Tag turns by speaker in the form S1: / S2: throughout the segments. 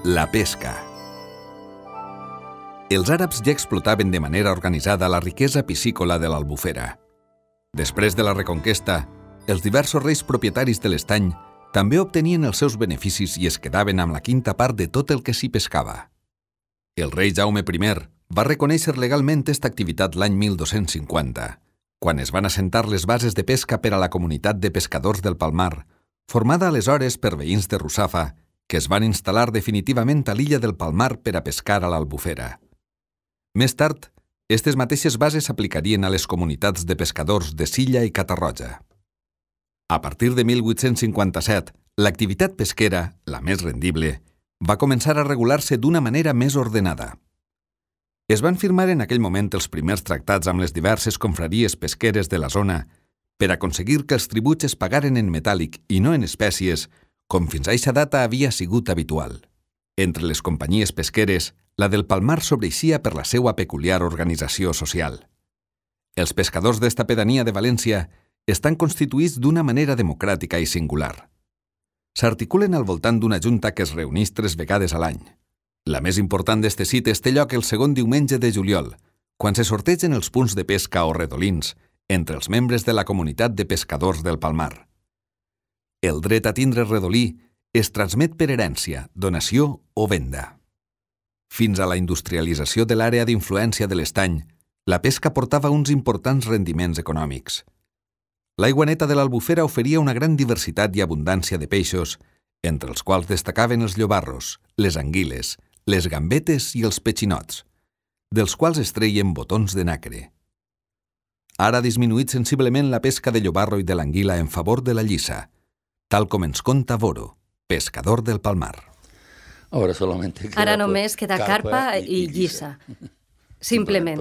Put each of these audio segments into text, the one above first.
S1: La pesca. Els àrabs ja explotaven de manera organitzada la riquesa piscícola de l'Albufera. Després de la Reconquesta, els diversos reis propietaris de l'estany també obtenien els seus beneficis i es quedaven amb la quinta part de tot el que s'hi pescava. El rei Jaume I va reconèixer legalment aquesta activitat l'any 1250, quan es van assentar les bases de pesca per a la comunitat de pescadors del Palmar, formada aleshores per veïns de Russafa, que es van instal·lar definitivament a l'illa del Palmar per a pescar a l'Albufera. Més tard, aquestes mateixes bases s'aplicarien a les comunitats de pescadors de Silla i Catarroja. A partir de 1857, l'activitat pesquera, la més rendible, va començar a regular-se d'una manera més ordenada. Es van firmar en aquell moment els primers tractats amb les diverses confraries pesqueres de la zona per aconseguir que els tributs es pagaren en metàl·lic i no en espècies, com fins a eixa data havia sigut habitual. Entre les companyies pesqueres, la del Palmar sobreeixia per la seva peculiar organització social. Els pescadors d'esta pedania de València estan constituïts d'una manera democràtica i singular. S'articulen al voltant d'una junta que es reuneix 3 vegades a l'any. La més important d'este cites té lloc el segon diumenge de juliol, quan se sortegen els punts de pesca o redolins entre els membres de la comunitat de pescadors del Palmar. El dret a tindre redolí es transmet per herència, donació o venda. Fins a la industrialització de l'àrea d'influència de l'estany, la pesca portava uns importants rendiments econòmics. L'aigua neta de l'Albufera oferia una gran diversitat i abundància de peixos, entre els quals destacaven els llobarros, les anguiles, les gambetes i els petxinots, dels quals es treien botons de nacre. Ara ha disminuït sensiblement la pesca de llobarro i de l'anguila en favor de la llissa, tal com ens conta Boro, pescador del Palmar.
S2: Ara només queda carpa i llissa. Simplement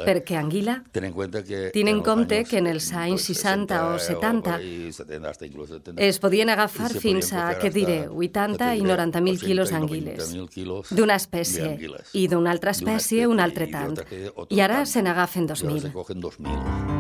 S2: perquè anguila, tenint en compte que en els anys 60 o 70 es podien agafar fins a, 80 i 90.000 quilos d'anguiles d'una espècie i d'una altra espècie un altre tant. I ara se n'agafen 2.000.